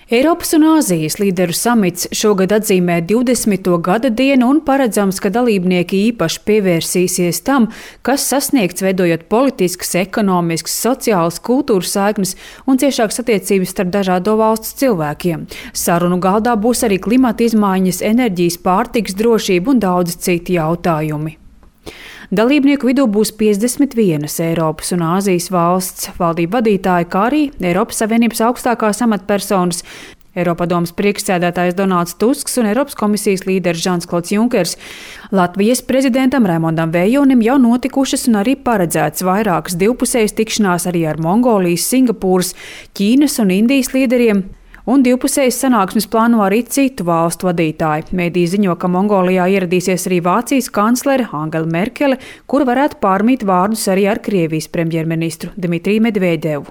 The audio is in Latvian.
Eiropas un Āzijas līderu samits šogad atzīmē 20. gada dienu un paredzams, ka dalībnieki īpaši pievērsīsies tam, kas sasniegts veidojot politiskas, ekonomiskas, sociālas, kultūras saiknes un ciešākas attiecības starp dažādo valstu cilvēkiem. Sarunu galdā būs arī klimata izmaiņas, enerģijas, pārtikas drošība un daudz citi jautājumi. Dalībnieku vidū būs 51 Eiropas un Āzijas valsts valdību vadītāji, kā arī Eiropas Savienības augstākās amatpersonas, Eiropadomes priekšsēdētājs Donalds Tusks un Eiropas komisijas līderis Žans-Klods Junkers. Latvijas prezidentam Raimondam Vējjonim jau notikušas un arī paredzētas vairākas divpusējas tikšanās arī ar Mongolijas, Singapūras, Ķīnas un Indijas līderiem. Un divpusējas sanāksmes plāno arī citu valstu vadītāji. Mēdī ziņo, ka Mongolijā ieradīsies arī Vācijas kanclere Angela Merkele, kur varētu pārmīt vārdus arī ar Krievijas premjerministru Dmitriju Medvedevu.